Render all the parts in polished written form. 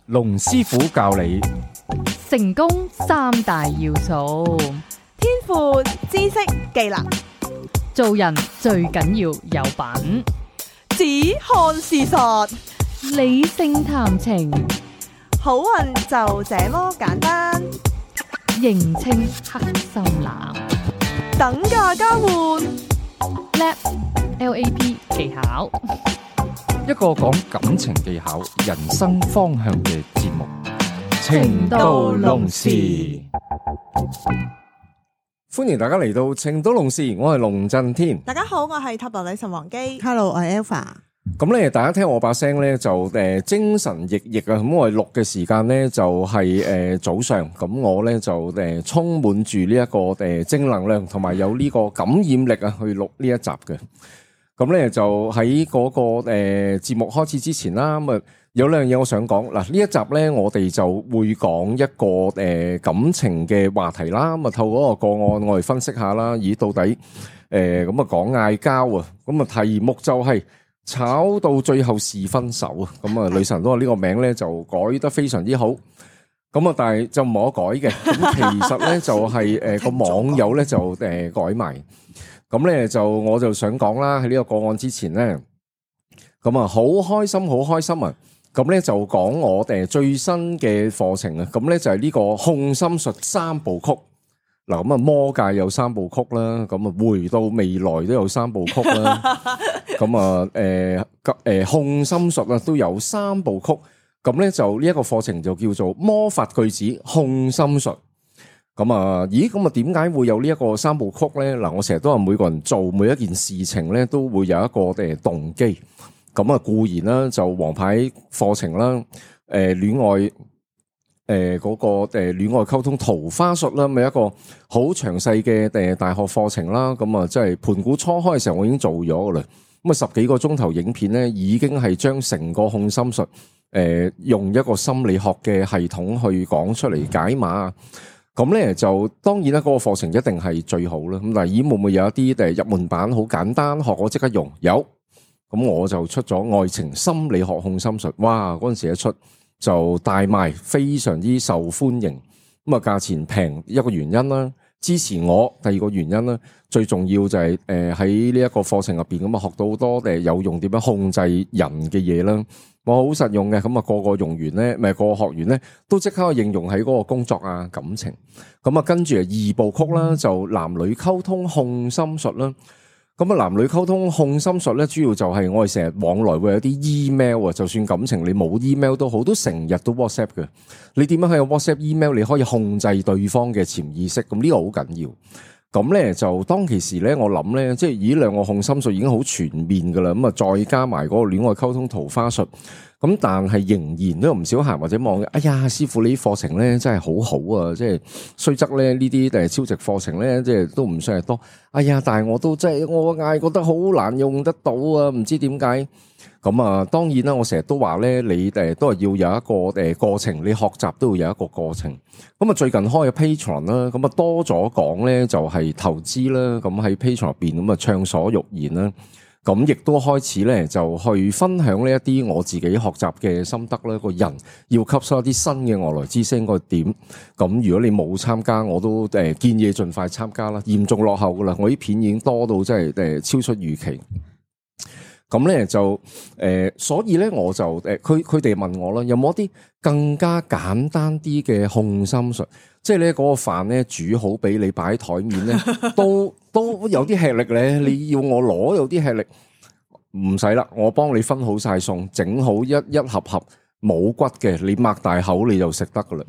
龍師傅教你成功三大要素，天賦、知識、技能，做人最緊要有品，只看事實，理性談情，好運就這麼簡單。認清黑心男，等價交換， LAP 技巧，一個講感情技巧、人生方向嘅節目《情到濃時》。歡迎大家嚟到《情到濃時》，我係龍震天。大家好，我係塔羅女神王姬。 Hello，我係 Alpha。咁咧，大家聽我把聲咧就精神奕奕啊！咁我哋錄嘅時間咧就係早上，咁我咧就充滿住呢一個正能量，同埋有呢個感染力啊，去錄呢一集嘅。咁咧就喺嗰個節目開始之前啦，咁啊有兩樣嘢我想講嗱，呢一集咧我哋就會講一個感情嘅話題啦，咁啊透過個案我哋分析下啦，咦到底咁啊講嗌交啊，咁啊題目就係炒到最後是分手啊！咁啊女神都話呢個名咧就改得非常之好，咁啊但係就唔可改嘅，咁其實咧就係個網友咧就改埋。咁咧就我就想講啦，喺呢個個案之前咧，咁啊好開心啊！咁咧就講我最新嘅課程啊，咁咧就係呢個控心術三部曲。嗱咁啊魔界有三部曲啦，咁啊回到未來都有三部曲啦，咁啊控心術啊都有三部曲。咁咧就呢一個課程就叫做魔法句子控心術。咁啊，咦？咁啊，點解會有呢一個三部曲咧？嗱，我成日都話每個人做每一件事情咧，都會有一個動機。咁啊，固然啦，就王牌課程啦，戀愛嗰個戀愛溝通桃花術啦，咪一個好詳細嘅大學課程啦。咁啊，即係盤古初開嘅時候，我已經做咗噶啦。咁啊，10幾個鐘頭影片咧，已經係將成個控心術用一個心理學嘅系統去講出嚟解碼。咁咧就當然啦，嗰個課程一定係最好啦。咁但係會唔會有一啲入門版好簡單，學我即刻用？有，咁我就出咗愛情心理學控心術。哇！嗰陣時一出就大賣，非常之受歡迎。咁啊，價錢平一個原因啦，支持我第二個原因啦，最重要就係喺呢一個課程入邊咁啊，學到好多有用點樣控制人嘅嘢啦。我好實用嘅，咁啊個用完咧，咪個學員咧都即刻應用喺嗰個工作啊感情。咁啊跟住二部曲啦，就男女溝通控心術啦。咁啊男女溝通控心術咧，主要就係我哋成日往來會有啲 email 啊，就算感情你冇 email 都好，都成日都 WhatsApp 嘅。你點樣喺個 WhatsApp email 你可以控制對方嘅潛意識？咁呢個好緊要。咁咧就當其時咧，我諗咧，即係呢兩個控心術已經好全面噶啦，咁啊再加埋嗰個戀愛溝通桃花術，咁但係仍然都有唔少客或者望，哎呀師傅你啲課程咧真係好好啊，即係雖則咧呢啲超值課程咧，即係都唔算係多，哎呀但係我都真係我嗌覺得好難用得到啊，唔知點解。咁啊，當然啦，我成日都話咧，你都係要有一個過程，你學習都要有一個過程。咁啊，最近開嘅 Patreon 啦，咁啊多咗講咧就係投資啦，咁喺 Patreon 入邊咁啊暢所欲言啦，咁亦都開始咧就去分享呢一啲我自己學習嘅心得啦。個人要吸收一啲新嘅外來知識應該點？咁如果你冇參加，我都建議盡快參加啦。嚴重落後噶啦，我啲片已經多到真係超出預期。咁咧就所以咧我就佢哋問我啦，有冇一啲更加簡單啲嘅控心術？即係咧嗰個飯咧煮好俾你擺喺台面咧，都有啲吃力咧。你要我攞有啲吃力，唔使啦，我幫你分好晒餸，整好一盒盒冇骨嘅，你擘大口你就食得噶啦。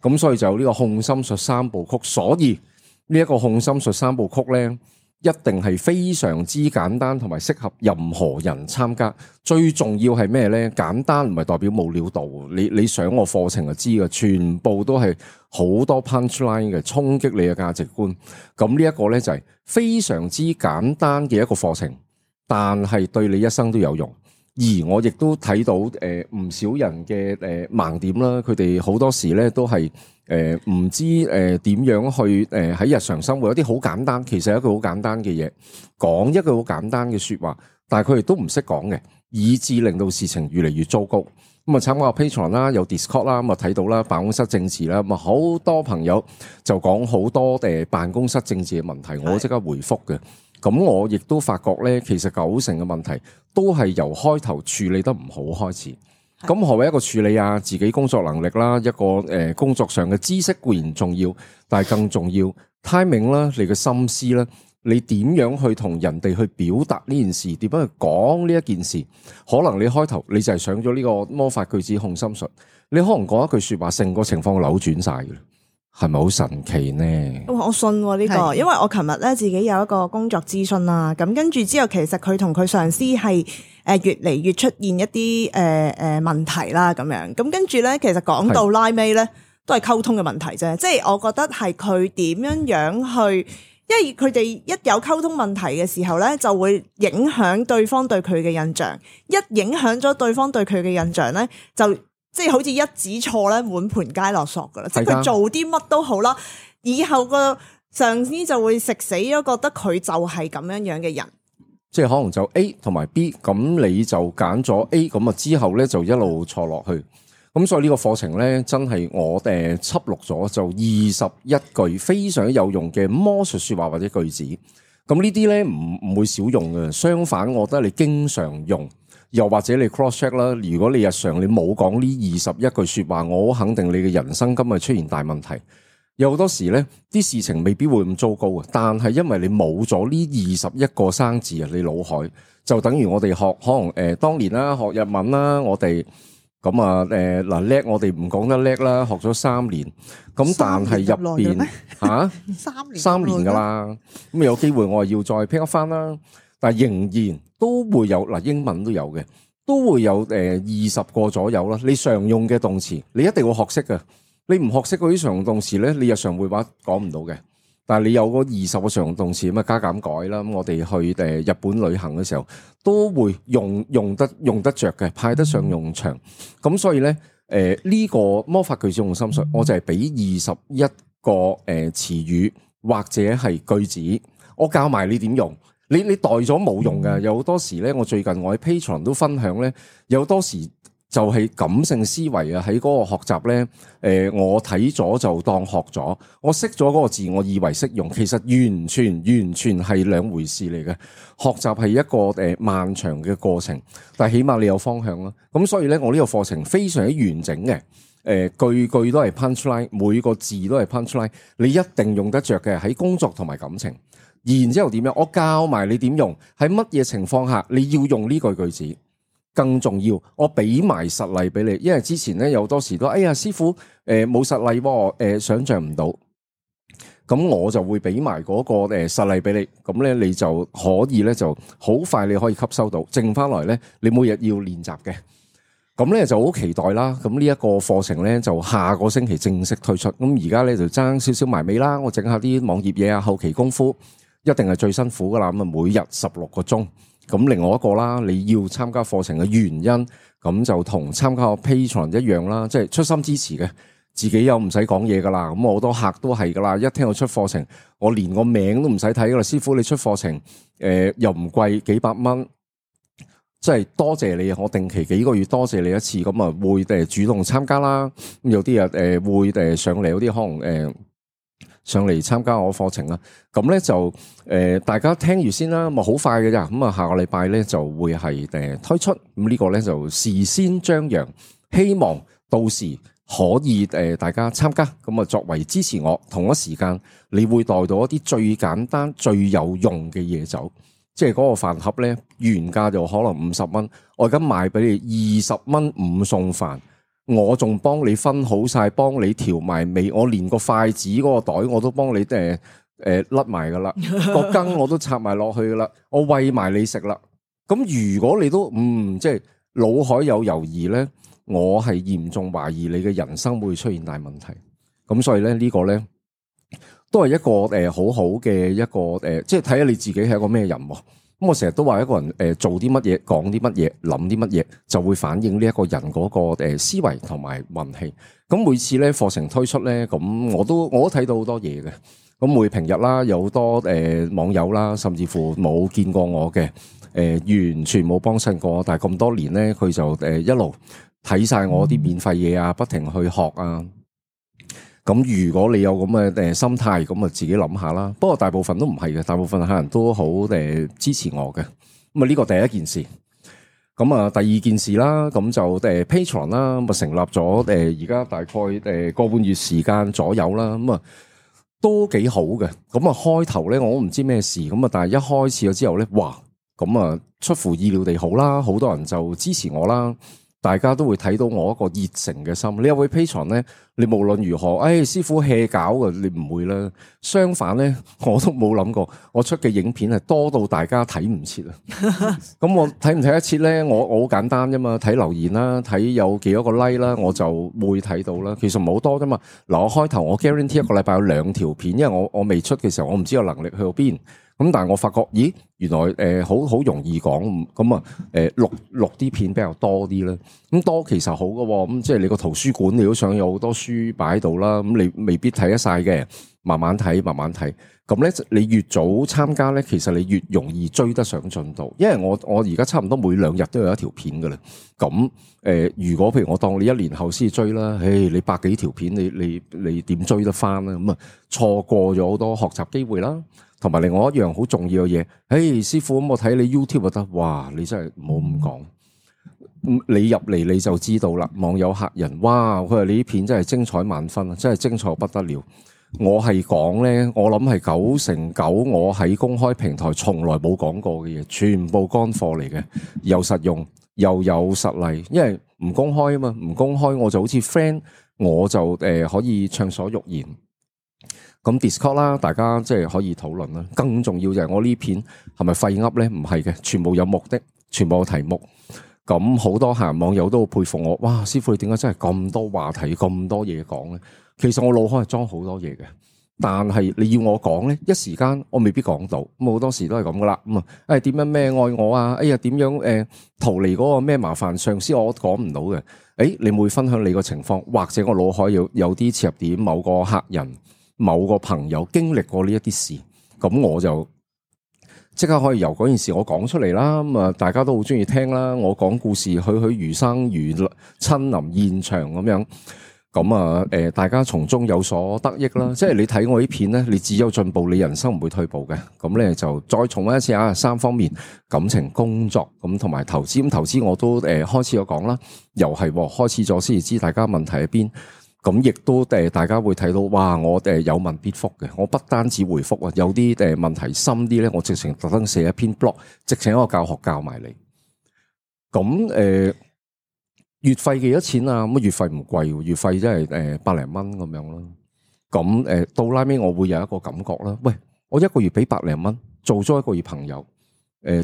咁所以就呢個控心術三部曲，所以呢一個控心術三部曲咧，一定係非常之簡單同埋適合任何人參加。最重要係咩咧？簡單唔係代表冇料到，你上我課程就知嘅，全部都係好多 punchline 嘅，衝擊你嘅價值觀。咁呢一個咧就係非常之簡單嘅一個課程，但係對你一生都有用。而我亦都睇到唔少人嘅盲點啦，佢哋好多時咧都係唔知點樣去喺日常生活有啲好簡單，其實係一句好簡單嘅嘢，講一句好簡單嘅說話，但係佢哋都唔識講嘅，以致令到事情越嚟越糟糕。咁啊參加 Patreon 啦，有 Discord 啦，咁啊睇到啦辦公室政治啦，咁啊好多朋友就講好多辦公室政治嘅問題，我即刻回覆嘅。咁我亦都發覺咧，其實90%嘅問題都係由開頭處理得唔好開始。咁何謂一個處理啊？自己工作能力啦，一個工作上嘅知識固然重要，但係更重要 timing 啦，你嘅心思啦，你點樣去同人哋去表達呢件事，點樣去講呢一件事？可能你開頭你就係上咗呢個魔法句子控心術，你可能講一句說話，成個情況扭轉晒嘅，係咪好神奇呢？我信呢個，因為我琴日咧自己有一個工作諮詢啦，咁跟住之後，其實佢同佢上司係越嚟越出現一啲問題啦，咁樣咁跟住咧，其實講到拉尾咧，都係溝通嘅問題啫。即係我覺得係佢點樣去，因為佢哋一有溝通問題嘅時候咧，就會影響對方對佢嘅印象。一影響咗對方對佢嘅印象咧，就即係好似一指錯咧，滿盤皆落索噶啦。即係佢做啲乜都好啦，以後個上司就會食死咗，覺得佢就係咁樣嘅人。即係可能就 A 同埋 B， 咁你就揀咗 A， 咁啊之後咧就一路錯落去。咁所以呢個課程咧，真係我輯錄咗就21句非常有用嘅魔術說話或者句子。咁呢啲咧唔會少用嘅，相反我覺得你經常用，又或者你 cross check 啦。如果你日常你冇講呢21句說話，我好肯定你嘅人生今日出現大問題。有好多時咧，啲事情未必會咁糟糕嘅，但係因為你冇咗呢21個生字啊，你腦海就等於我哋學可能當年啦，學日文啦，我哋咁啊嗱叻，我哋唔講得叻啦，學咗3年，咁但係入邊吓3年噶啦，咁有機會我係要再 pick up 翻啦，但係仍然都會有嗱，英文都有嘅，都會有20個左右啦。你常用嘅動詞，你一定會學識嘅。你唔學識嗰啲常用動詞咧，你日常會話講唔到嘅。但係你有嗰20個常用動詞咁啊，加減改啦。咁我哋去日本旅行嘅時候，都會用得着嘅，派得上用場。咁所以咧，呢個魔法句子控心術，我就係俾21個詞語或者係句子，我教埋你點用。你代咗冇用嘅。有好多時咧，我最近我喺 Patreon 都分享咧，有好多時。就係感性思維啊！喺嗰個學習咧，我睇咗就當學咗，我識咗嗰個字，我以為識用，其實完全係兩回事嚟嘅。學習係一個漫長嘅過程，但係起碼你有方向啦。咁所以咧，我呢個課程非常之完整嘅，句句都係 punchline， 每個字都係 punchline， 你一定用得着嘅喺工作同埋感情。然之後點樣？我教埋你點用，喺乜嘢情況下你要用呢句句子。更重要，我俾埋實例俾你，因為之前咧有好多時都，哎呀師傅，冇實例喎，想象唔到，咁我就會俾埋嗰個實例俾你，咁咧你就可以咧就好快你可以吸收到，剩翻來咧你每日要練習嘅，咁咧就好期待啦。咁呢一個課程咧就下個星期正式推出，咁而家咧就爭少少埋尾啦，我整下啲網頁嘢啊，後期功夫一定係最辛苦噶啦，咁啊每日16個鐘。咁另外一個啦，你要參加課程嘅原因，咁就同參加個 Patreon 一樣啦，即係出心支持嘅，自己又唔使講嘢噶啦。咁好多客都係噶啦，一聽我出課程，我連個名都唔使睇噶啦。師傅你出課程，又唔貴，幾百蚊，即係多謝你啊！我定期幾個月多謝你一次，咁啊會主動參加啦。咁有啲人會上嚟，有啲可能上嚟參加我課程啦，咁咧就大家聽住先啦，咁啊好快嘅咋，咁啊下個禮拜咧就會係推出，咁呢個咧就事先張揚，希望到時可以大家參加，咁啊作為支持我，同一時間你會帶到一啲最簡單最有用嘅嘢走，即係嗰個飯盒咧原價就可能50蚊，我而家賣俾你20蚊5餸飯。我仲幫你分好晒，幫你調埋味，我連個筷子嗰個袋我都幫你甩埋噶啦，個羹我都插埋落去噶啦，我餵埋你食啦。咁如果你都即係腦海有猶豫咧，我係嚴重懷疑你嘅人生會出現大問題。咁所以咧呢個咧都係一個好好嘅一個即係睇下你自己係一個咩人喎。咁我成日都話一個人做啲乜嘢，講啲乜嘢，諗啲乜嘢，就會反映呢一個人嗰個思維同埋運氣。咁每次咧課程推出咧，咁我都睇到好多嘢嘅。咁每平日啦，有好多網友啦，甚至乎冇見過我嘅，完全冇幫襯過，但係咁多年咧，佢就一路睇晒我啲免費嘢啊，不停去學啊。咁如果你有咁嘅心態，咁啊自己諗下啦。不過大部分都唔係嘅，大部分客人都好支持我嘅。咁啊呢個第一件事。咁啊第二件事啦，咁就Patreon 啦，咁啊成立咗而家大概個半月時間左右啦。咁啊都幾好嘅。咁啊開頭咧我都唔知咩事，咁啊但係一開始咗之後咧，哇！咁啊出乎意料地好啦，好多人就支持我啦。大家都會睇到我一個熱誠嘅心。你有位 Patreon 咧，你無論如何，師傅 hea 搞嘅，你唔會啦。相反咧，我都冇諗過，我出嘅影片係多到大家睇唔切啊。咁我睇唔睇得切咧？我好簡單啫嘛，睇留言啦，睇有幾多個 like 啦，我就會睇到啦。其實唔係好多啫嘛。嗱，我開頭我 guarantee 一個禮拜有2條片，因為我未出嘅時候，我唔知有能力去到邊。咁但係我發覺，咦，原來好容易講，咁啊錄啲片比較多啲啦。咁多其實好嘅，咁即係你個圖書館你都想有好多書擺喺度啦。咁你未必睇得晒嘅，慢慢睇，慢慢睇。咁咧，你越早參加咧，其實你越容易追得上進度。因為我而家差唔多每2日都有一條片噶啦。咁如果譬如我當你1年後先追啦，你100幾條片，你點追得翻咧？咁啊錯過咗好多學習機會啦。同埋另外一樣好重要嘅嘢，師傅，咁我睇你 YouTube 就得，哇！你真係唔好咁講，你入嚟你就知道啦。網友客人，哇！佢話你啲片真係精彩萬分啊，真係精彩不得了。我係講咧，我諗係99%我喺公開平台從來冇講過嘅嘢，全部乾貨嚟嘅，又實用又有實例。因為唔公開啊嘛，唔公開我就好似 friend，我就可以暢所欲言。咁 Discord 啦，大家即係可以討論啦。更重要就係我呢片係咪廢噏咧？唔係嘅，全部有目的，全部有題目。咁好多客人網友都好佩服我，哇！師傅你點解真係咁多話題、咁多嘢講咧？其實我腦海係裝好多嘢嘅，但係你要我講咧，一時間我未必講到。咁好多時都係咁噶啦。咁啊，點樣咩愛我啊？哎呀，點樣逃離嗰個咩麻煩上司？我講唔到嘅。你會分享你個情況，或者我腦海有啲切入點，某個客人。某個朋友經歷過呢一啲事，咁我就即刻可以由嗰件事我講出嚟啦。咁啊，大家都好中意聽啦。我講故事，栩栩如生，如親臨現場咁樣。咁啊，大家從中有所得益啦。即係你睇我啲片咧，你只有進步，你人生唔會退步嘅。咁咧就再重溫一次啊，3方面：感情、工作咁同埋投資。咁投資我都開始有講啦，又係開始咗先至知大家問題喺邊。咁亦都大家會睇到，哇！我有問必覆嘅，我不單止回覆啊，有啲問題深啲咧，我直情特登寫一篇 blog， 直情一個教學教埋你。咁月費幾多錢啊？咁月費唔貴，月費真係100零蚊咁樣咯。咁到拉尾我會有一個感覺啦。喂，我一個月俾100零蚊，做咗一個月朋友，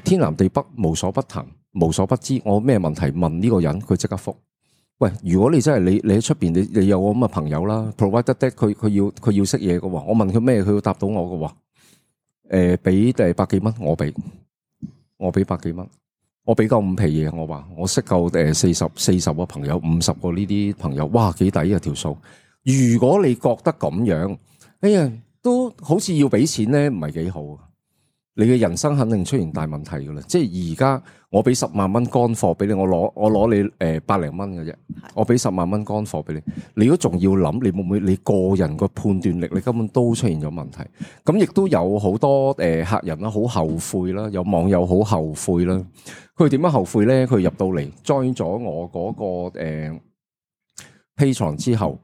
天南地北無所不談，無所不知。我咩問題問呢個人，佢即刻覆。喂，如果你真係你喺出邊，你有我咁嘅朋友啦 ，provide that 佢要識嘢嘅喎，我問佢咩，佢要答到我嘅喎。俾100幾蚊，我俾100幾蚊，我俾夠5皮嘢，我話我識夠40個朋友，50個呢啲朋友，哇，幾抵啊條數！如果你覺得咁樣，哎呀，都好似要俾錢咧，唔係幾好。你嘅人生肯定出現大問題噶啦，即係而家我俾10萬蚊乾貨俾你，我攞你100零蚊嘅啫，我俾10萬蚊乾貨俾你，你如果仲要諗，你會唔會你個人個判斷力，你根本都出現咗問題。咁亦都有好多客人啦，好後悔啦，有網友好後悔啦。佢點樣後悔咧？佢入到嚟 join 咗我嗰個Patreon 之後。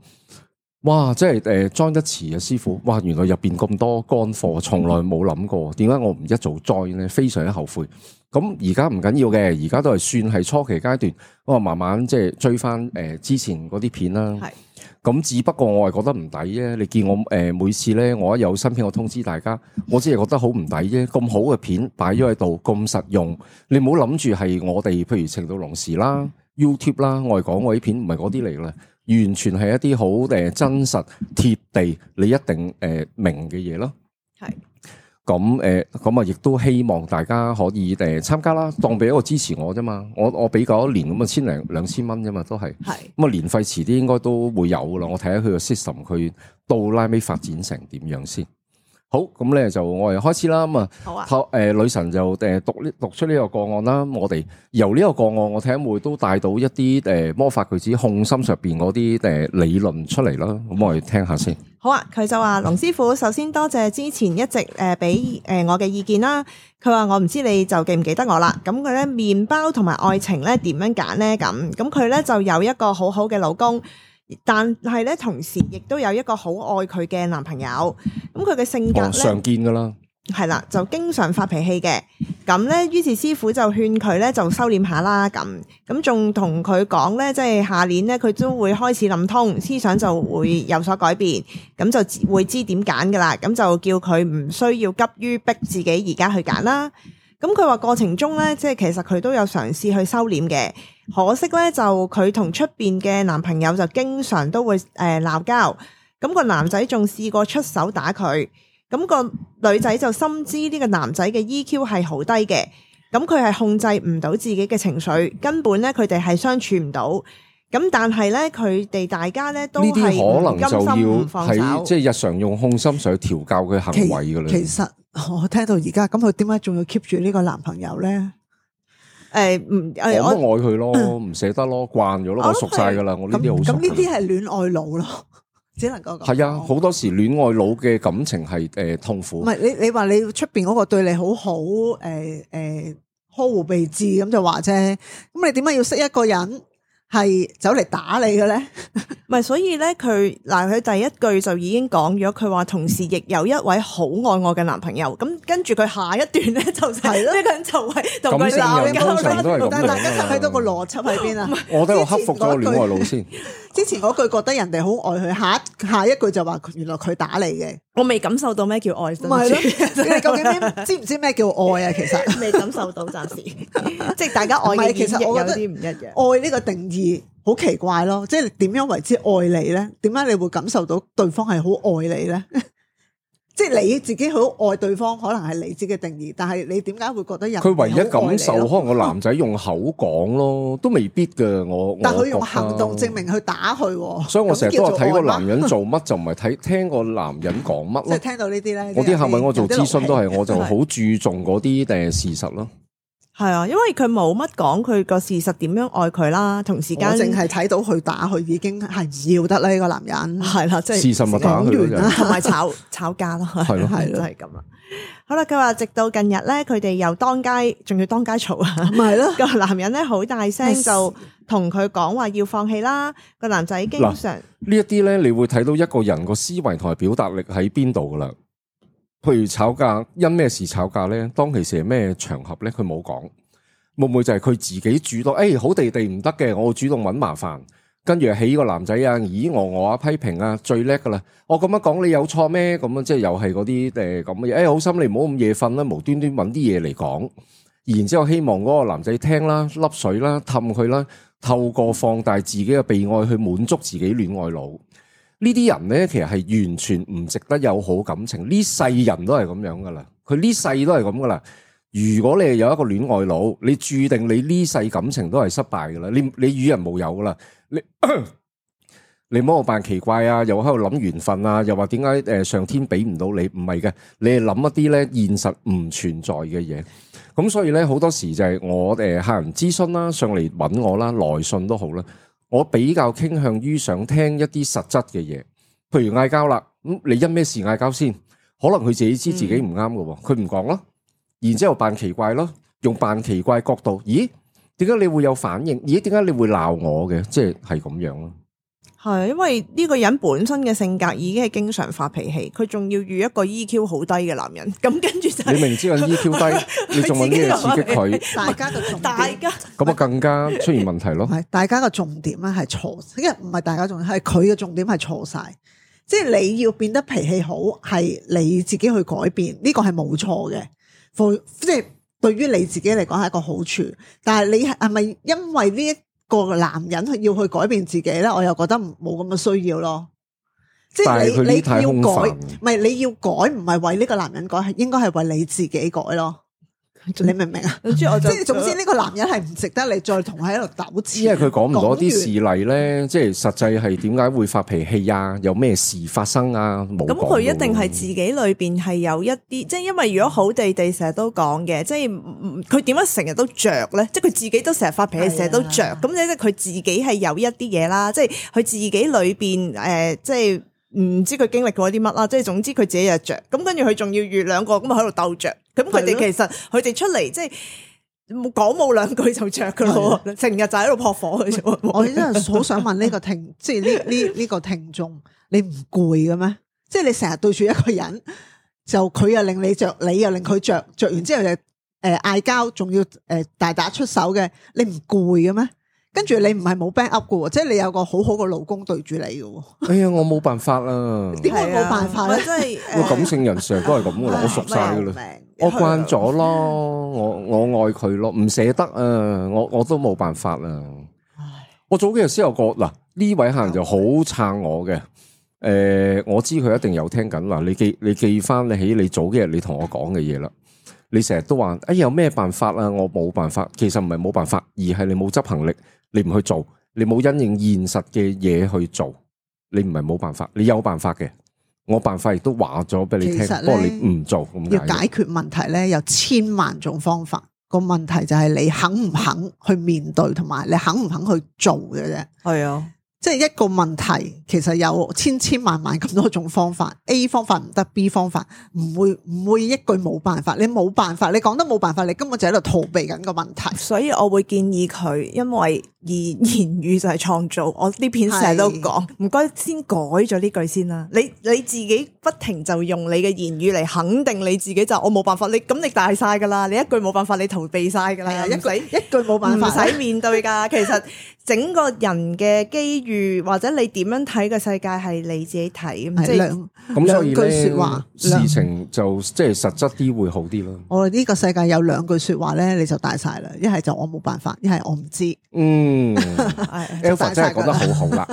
哇！即係join 得遲啊，師傅！哇，原來入邊咁多乾貨，從來冇諗過。點解我唔一早 join 咧？非常之後悔。咁而家唔緊要嘅，而家都係算係初期階段。我慢慢即係追翻之前嗰啲片啦。係。咁只不過我係覺得唔抵啫。你見我每次咧，我一有新片我通知大家，我只係覺得好唔抵啫。咁好嘅片擺咗喺度，咁實用，你唔好諗住係我哋，譬如情到濃時啦、YouTube 啦，我係講我啲片唔係嗰啲嚟啦。完全係一啲好真實貼地，你一定明嘅嘢咯。係咁啊，亦都希望大家可以參加啦，當俾一個支持我啫嘛。我俾夠一年咁啊，1000零2000蚊啫嘛，都係。係咁啊，年費遲啲應該都會有噶啦。我睇下佢個 system，佢到拉尾發展成點樣先。好，咁咧就我哋開始啦。咁好啊女神就讀出呢個個案啦。我哋由呢個個案，我睇下會唔會都帶到一啲魔法句子控心上邊嗰啲理論出嚟啦。咁我哋聽下先。好啊，佢就話龍師傅，首先多謝之前一直俾我嘅意見啦。佢話我唔知你就記唔記得我啦。咁佢咧麵包同埋愛情咧點樣揀咧？咁佢咧就有一個好好嘅老公。但係咧，同時亦都有一個好愛佢嘅男朋友。咁佢嘅性格咧，常見噶啦，係啦，就經常發脾氣嘅。咁咧，於是師傅就勸佢咧，就收斂下啦。咁仲同佢講咧，即係下年咧，佢都會開始諗通，思想就會有所改變。咁就會知點揀噶啦。咁就叫佢唔需要急於逼自己而家去揀啦。咁佢話過程中咧，即係其實佢都有嘗試去收斂嘅。可惜咧，就佢同出邊嘅男朋友就經常都會鬧交，咁個男仔仲試過出手打佢，咁個女仔就深知呢個男仔嘅 EQ 係好低嘅，咁佢係控制唔到自己嘅情緒，根本咧佢哋係相處唔到，咁但係咧佢哋大家咧都係唔甘心唔放手，呢啲可能就要喺即係日常用控心上去調教佢行為噶啦。其實我聽到而家咁，佢點解仲要 keep 住呢個男朋友咧？我愛佢咯，唔捨得咯，慣咗咯，我熟晒噶啦，我呢啲好熟。咁呢啲係戀愛腦咯，只能夠講。係啊，好多時戀愛腦嘅感情係痛苦。唔係你話你出邊嗰個對你好好，呵護備至咁就話啫。咁你點解要識一個人係走嚟打你嘅咧？唔係，所以咧佢第一句就已經講咗，佢話同時亦有一位好愛我嘅男朋友。咁跟住佢下一段咧就係呢個人就係同佢鬧交。通常都係咁。但係大家睇到個邏輯喺邊啊？我都要克服咗戀愛腦先。之前嗰句覺得人哋好愛佢，下一句就話原來佢打你嘅。我未感受到咩叫愛，唔係咯？你究竟知唔知咩叫愛啊？其實未感受到，暫時即係大家愛嘅演繹有啲唔一樣。愛呢個定義好奇怪咯，即係點樣為之愛你咧？點解你會感受到對方係好愛你咧？即係你自己好愛對方，可能係你自己嘅定義，但係你點解會覺得人佢唯一感受，可能個男仔用口講咯，都未必㗎。但佢用行動證明去打佢，所以我成日都話睇個男人做乜就唔係聽個男人講乜咯。即係聽到呢啲咧，我啲客問我做諮詢都係，我就好注重嗰啲事實咯。係啊，因為佢冇乜講佢個事實點樣愛佢啦，同時間淨係睇到佢打佢已經係唔要得啦，呢個男人係啦，即係事實咪打佢咯，同埋吵架咯，係咯，就係咁啦。好啦，佢話直到近日咧，佢哋又仲要當街嘈啊，係咯，個男人咧好大聲就同佢講話要放棄啦。個男仔經常呢一啲咧，你會睇到一個人個思維同埋表達力喺邊度噶啦。譬如吵架，因咩事吵架咧？當其時係咩場合咧？佢冇講，會唔會就係佢自己主動？好地地唔得嘅，我會主動揾麻煩，跟住起個男仔啊，咦我批評啊，最叻噶啦！我咁樣講你有錯咩？咁樣即係又係嗰啲咁嘅嘢。好心你唔好咁夜瞓啦，無端端揾啲嘢嚟講，然之後希望嗰個男仔聽啦，粒水啦，氹佢啦，透過放大自己嘅被愛去滿足自己戀愛腦。呢啲人咧，其實係完全唔值得有好感情，呢世人都係咁樣噶啦，佢呢世都係咁噶啦。如果你係有一個戀愛腦，你注定你呢世感情都係失敗噶啦，你與人無有噶啦，你唔好扮奇怪啊，又喺度諗緣分啊，又話點解上天俾唔到你，唔係嘅，你係諗一啲咧現實唔存在嘅嘢。咁所以咧好多時就係我客人諮詢啦，上嚟揾我啦，來信都好啦。我比較傾向於想聽一啲實質嘅嘢，譬如嗌交啦，咁你因咩事嗌交先？可能佢自己知自己唔啱嘅，佢唔講咯，然之後扮奇怪咯，用扮奇怪角度，咦？點解你會有反應？咦？點解你會鬧我嘅？即係咁樣咯。係因為呢個人本身嘅性格已經係經常發脾氣，佢仲要遇一個 EQ 好低嘅男人，咁跟住就你明知個 EQ 低，你仲揾啲嘢刺激佢，大家嘅重點，咁啊更加出現問題咯。係大家嘅重點咧係錯，因為唔係大家重點，係佢嘅重點係錯晒。即係你要變得脾氣好，係你自己去改變，呢個係冇錯嘅。即係對於你自己嚟講係一個好處，但係你係咪因為呢一個男人要去改變自己咧？我又覺得冇咁嘅需要咯。即係你要改，唔係你要改，唔係為呢個男人改，係應該係為你自己改咯。你明唔明啊？總之我就即係總之呢個男人係唔值得你再同佢喺度糾纏。因為佢講唔到啲講事例咧，即係實際係點解會發脾氣啊？有咩事發生啊？冇講咁佢一定到係自己裏邊係有一啲，即係因為如果好地地成日都講嘅，即係佢點解成日都着咧？即係佢自己都成日發脾氣，成日都着，咁即係佢自己係有一啲嘢啦，即係佢自己裏邊即係唔知佢經歷過啲乜啦，即係總之佢自己又着，咁跟住佢仲要遇兩個咁喺度鬥着，咁佢哋其實佢哋出嚟即係。講冇兩句就着噶咯，成日就喺度撲火嘅啫。我真係好想問呢個聽，即係呢個聽眾，你唔攰嘅咩？即係你成日對住一個人，就佢又令你着，你又令佢着，着完之後就嗌交，仲要大打出手嘅，你唔攰嘅咩？跟住你唔係冇 back up 嘅，即係你有個好好嘅老公對住你嘅。哎呀，我冇辦法啦。點解冇辦法咧？真係我感性人成日都係咁噶啦，我熟晒噶啦。我慣咗咯，我愛佢咯，唔捨得啊，我都冇辦法啊。我早幾日先有個嗱，呢位客人就好撐我嘅，我知佢一定有聽緊嗱，你記翻你起你早幾日你同我講嘅嘢啦，你成日都話有咩辦法啊？我冇辦法，其實唔係冇辦法，而係你冇執行力，你唔去做，你冇因應現實嘅嘢去做，你唔係冇辦法，你有辦法嘅。我辦法亦都話咗俾你聽，不過你唔做咁解。要解決問題咧，有千萬種方法。個問題就係你肯唔肯去面對，同埋你肯唔肯去做嘅啫。係啊。即係一個問題，其實有千萬咁多種方法。A 方法唔得 ，B 方法唔會一句冇辦法。你冇辦法，你講得冇辦法，你根本就喺度逃避緊個問題。所以我會建議佢，因為言語就係創造。我呢篇成日都講，唔該先改咗呢句先啦。你自己不停就用你嘅言語嚟肯定你自己，就我冇辦法。你咁你大晒噶啦，你一句冇辦法，你逃避晒噶啦，一句冇辦法，唔使面對噶。其實整個人嘅機遇或者你點樣睇嘅世界係你自己睇，即係咁所以兩句說話，事情就即係實質啲會好啲咯。我哋呢個世界有兩句說話咧，你就大晒啦。一係就我冇辦法，一係我唔知。Alpha 真係講得好好啦。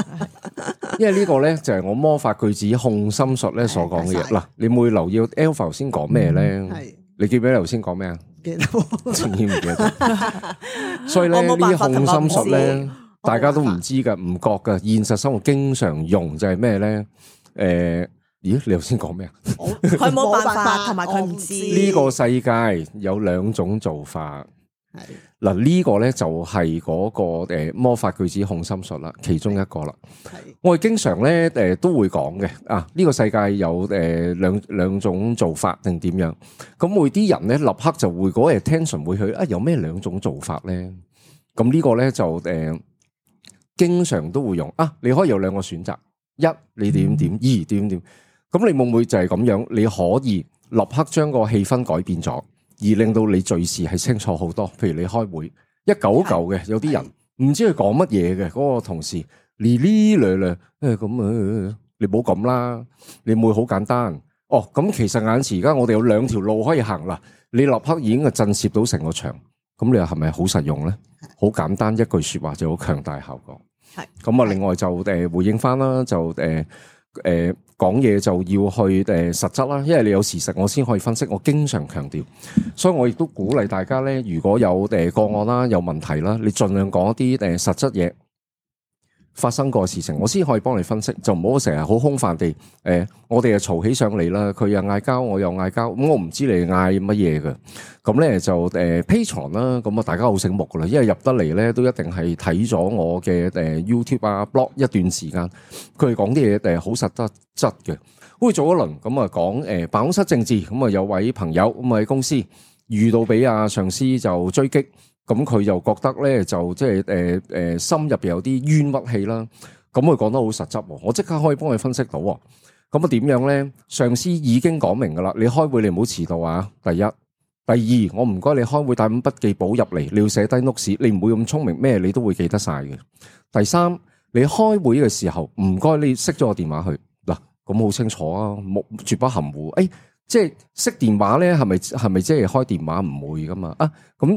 因為呢個咧就係我魔法句子控心術咧所講嘅嘢。嗱，你會留意 Alpha 頭先講咩咧？你記唔記得頭先講咩啊？記得，曾經唔記得。所以咧呢啲控心術咧，大家都唔知噶，唔覺噶。現實生活經常用就係咩咧？咦？你頭先講咩啊？佢冇辦法，同埋佢唔知。呢個世界有兩種做法。嗱，呢個咧就係嗰個魔法句子控心術啦，其中一個啦。我哋經常咧都會講嘅啊，呢個世界有兩種做法定點樣？咁會啲人咧立刻就會嗰個 attention 會去啊，有咩兩種做法咧？咁呢個咧就經常都會用啊，你可以有兩個選擇，一你點點，二點點。咁你會唔會就係咁樣？你可以立刻將個氣氛改變咗，而令到你敘事係清楚好多。譬如你開會一嚿嚿嘅，有啲人唔知佢講乜嘢嘅，嗰個同事哩哩咧咧，咁你唔好咁啦，你會好簡單。哦，咁其實眼前而家我哋有兩條路可以行啦，你立刻已經係震懾到成個場，咁你又係咪好實用咧？好簡單一句說話就好強大效果。係咁啊，另外就回應翻啦，就講嘢就要去實質啦，因為你有事實我先可以分析，我經常強調，所以我亦都鼓勵大家咧，如果有個案啦、有問題啦，你盡量講一啲實質嘢發生過嘅事情，我先可以幫你分析，就唔好成日好空泛地我哋又嘈起上嚟啦，佢又嗌交，我又嗌交，咁我唔知你嗌乜嘢嘅，咁咧就Patreon 啦，咁啊大家好醒目噶啦，因為入得嚟咧都一定係睇咗我嘅YouTube 啊 blog 一段時間，佢哋講啲嘢好實質嘅，好似做一輪咁啊講辦公室政治，咁啊有位朋友咁啊喺公司遇到俾阿上司就追擊。咁佢又覺得咧，就即係心入邊有啲冤屈氣啦。咁佢講得好實質，我即刻可以幫佢分析到。咁啊點樣咧？上司已經講明噶啦，你開會你唔好遲到啊！第一，第二，我唔該你開會帶本筆記簿入嚟，你要寫低 notes，你唔會咁聰明咩？你都會記得晒嘅。第三，你開會嘅時候唔該你熄咗個電話去嗱，咁好清楚啊，絕不含糊。即係熄電話咧，係咪即係開電話唔會噶嘛？啊，咁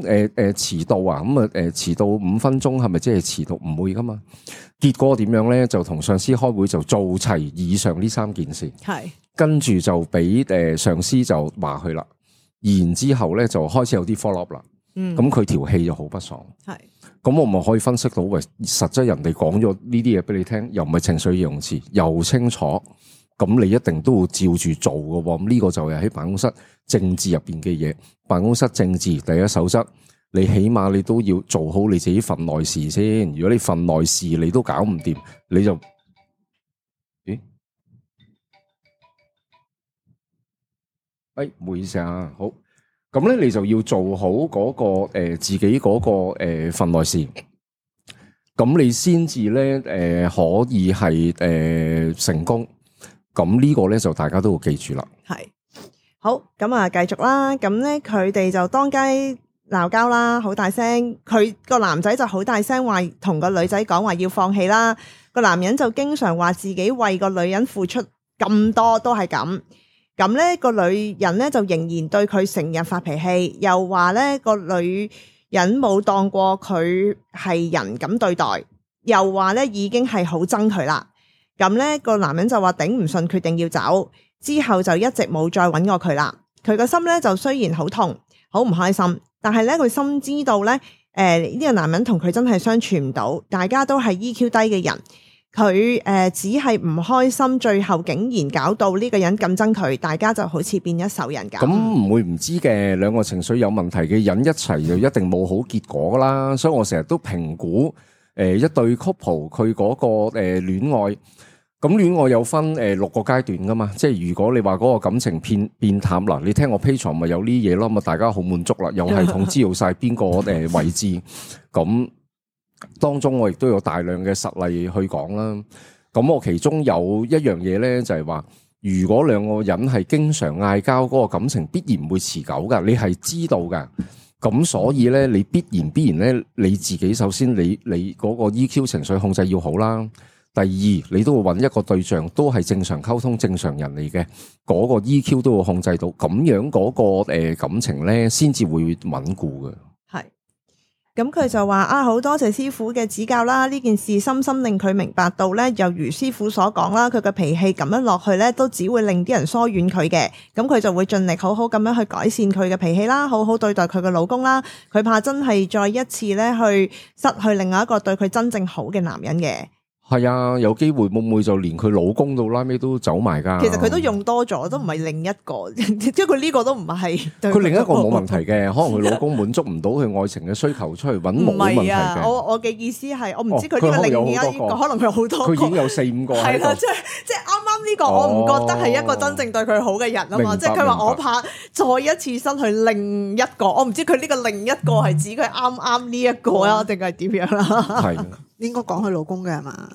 遲到啊，咁啊遲到5分鐘係咪即係遲到唔會噶嘛？結果點樣咧？就同上司開會就做齊以上呢3件事，係跟住就俾上司就話佢啦。然之後咧就開始有啲 follow up 啦。咁佢條氣就好不爽。係，咁我咪可以分析到，喂，實質人哋講咗呢啲嘢俾你聽，又唔係情緒形容詞，又清楚，咁你一定都會照住做嘅。咁呢個就係喺辦公室政治入邊嘅嘢。辦公室政治第一守則，你起碼你都要做好你自己份內事先。如果你份內事你都搞唔掂，你就，咦？唔好意思啊，好。咁咧，你就要做好嗰個自己嗰個份內事，咁你先至咧可以係成功。咁呢個咧就大家都要記住啦。係好，咁啊繼續啦。咁咧佢哋就當街鬧交啦，好大聲。佢個男仔就好大聲話同個女仔講話要放棄啦。個男人就經常話自己為個女人付出咁多都係咁。咁咧個女人咧就仍然對佢成日發脾氣，又話咧個女人冇當過佢係人咁對待，又話咧已經係好憎佢啦。咁咧個男人就話頂唔順，決定要走，之後就一直冇再揾過佢啦。佢個心咧就雖然好痛，好唔開心，但係咧佢深知道咧，呢個男人同佢真係相處唔到，大家都係 EQ 低嘅人。佢只係唔開心，最後竟然搞到呢個人咁憎佢，大家就好似變一仇人咁。咁唔會唔知嘅，兩個情緒有問題嘅人一齊就一定冇好結果啦。所以我成日都評估一對 couple 佢嗰個戀愛，咁戀愛有分6個階段噶嘛。即係如果你話嗰個感情變淡啦，你聽我 Patreon 咪有呢嘢咯，咁大家好滿足啦，有系統知道晒邊個位置咁。當中我亦都有大量嘅實例去講啦。咁我其中有一樣嘢咧，就係話，如果兩個人係經常嗌交，嗰個感情必然唔會持久噶，你係知道噶。咁所以咧，你必然咧，你自己首先你嗰個 EQ 情緒控制要好啦。第二，你都會揾一個對象，都係正常溝通正常人嚟嘅，嗰個 EQ 都會控制到，咁樣嗰個感情咧，先至會穩固嘅。咁佢就話啊，好多謝師傅嘅指教啦！呢件事深深令佢明白到咧，又如師傅所講啦，佢嘅脾氣咁樣落去咧，都只會令啲人疏遠佢嘅。咁佢就會盡力好好咁樣去改善佢嘅脾氣啦，好好對待佢嘅老公啦。佢怕真係再一次咧去失去另外一個對佢真正好嘅男人嘅。係啊，有機會會唔會就連佢老公到拉尾都走埋噶？其實佢都用多咗，都唔係另一個，即係佢呢個都唔係。佢另一個冇問題嘅，可能佢老公滿足唔到佢愛情嘅需求，出去揾冇問題嘅。我嘅意思係，我唔知佢呢個另一個，可能佢有好多個，佢已經有4-5個喺度。係啦，即係啱啱呢個，我唔覺得係一個真正對佢好嘅人啊嘛。即係佢話我怕再一次失去另一個，我唔知佢呢個另一個係指佢啱啱呢一個啊，定係點樣啦？係。應該講佢老公嘅係嘛？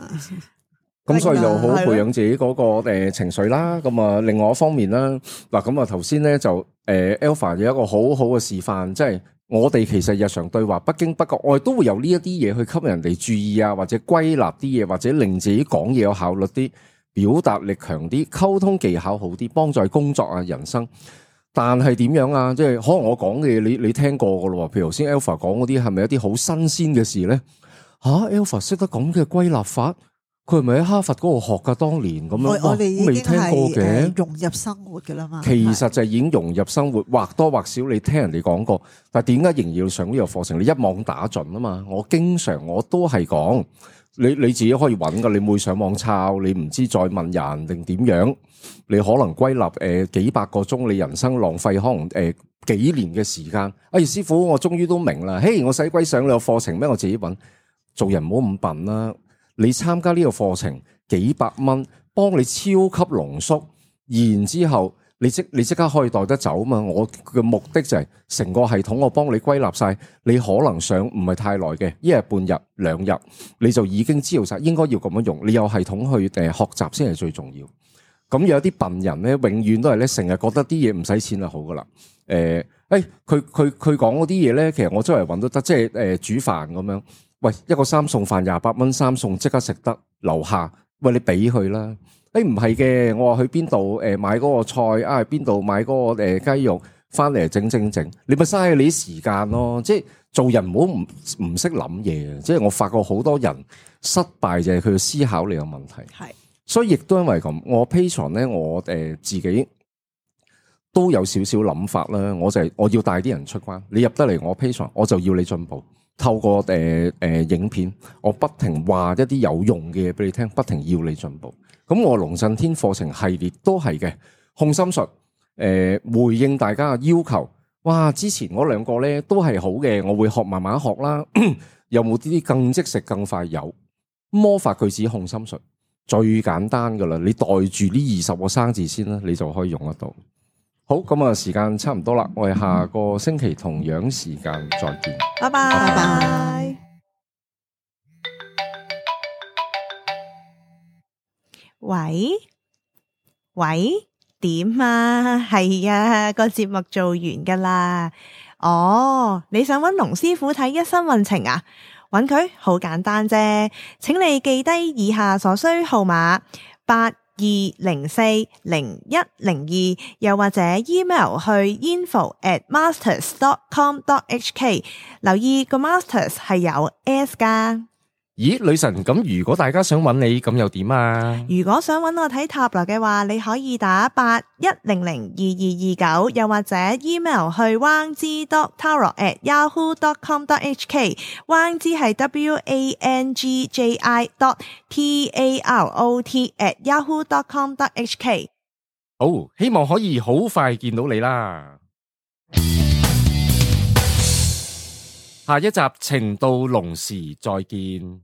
咁所以就好好培養自己嗰個情緒啦。咁啊，另外一方面啦，嗱咁啊頭先咧就Alpha 有一個好好嘅示範，即係我哋其實日常對話不經不覺，我哋都會有呢一啲嘢去吸引人哋注意啊，或者歸納啲嘢，或者令自己講嘢有效率啲，表達力強啲，溝通技巧好啲，幫助工作啊、人生。但係點樣啊？即係可能我講嘅嘢你聽過噶咯，譬如頭先 Alpha 講嗰啲係咪一啲好新鮮嘅事咧？Alpha 識得咁嘅歸納法，佢係咪喺哈佛嗰度學噶？當年咁樣，我哋已經未聽過嘅，融入生活噶啦嘛。其實就已經融入生活，或多或少你聽人哋講過。但係點解仍然要上呢個課程？你一網打盡啊嘛！我都係講，你自己可以揾噶，你唔會上網抄，你唔知再問人定點樣，你可能歸納幾百個鐘，你人生浪費可能幾年嘅時間。哎，師傅，我終於都明啦！嘿，我使鬼上你個課程咩？我自己揾。做人唔好咁笨啦！你參加呢個課程幾百蚊，幫你超級濃縮，然之後你即刻可以帶得走嘛！我嘅目的就係成個系統我幫你歸納晒，你可能上唔係太耐嘅，1日半日2日，你就已經知道晒應該要咁樣用。你有系統去學習先係最重要。咁有啲笨人咧，永遠都係咧成日覺得啲嘢唔使錢就好噶啦。佢講嗰啲嘢咧，其實我周圍揾都得，即係煮飯咁樣。喂，一個3餸飯28蚊，3餸即刻食得，樓下，喂你俾佢啦。唔係嘅，我話去邊度買嗰個菜啊，邊度買嗰個雞肉，翻嚟整，你咪嘥你啲時間咯。即係做人唔好唔識諗嘢。即係我發覺好多人失敗就係佢嘅思考力有問題。係，所以亦都因為咁，我 Patreon 咧，我自己都有少少諗法啦。我要帶啲人出關，你入得嚟我 Patreon，我就要你進步。透過影片，我不停話一啲有用嘅嘢俾你聽，不停要你進步。咁我龍震天課程系列都係嘅，控心術回應大家嘅要求。哇！之前嗰兩個咧都係好嘅，我會學慢慢學啦。有冇啲更即食更快？有魔法句子控心術最簡單噶啦，你袋住呢20個生字先啦，你就可以用得到。好，咁啊，時間差唔多啦，我哋下個星期同樣時間再見，拜拜拜拜。喂喂，點啊？係啊，個節目做完噶啦。哦，你想揾龍師傅睇一生運程啊？揾佢好簡單啫，請你記低以下所需號碼82040102，又或者 email 去 info@masters.com.hk， 留意個 masters 係有 S 噶。咦，女神，咁如果大家想揾你，咁又點啊？如果想揾我睇塔羅嘅話，你可以打81002229，又或者 email 去 wangzi.tarot@yahoo.com.hk， wangzi 係 wangji.tarot@yahoo.com.hk。 好，希望可以好快見到你啦。下一集情到濃時再見。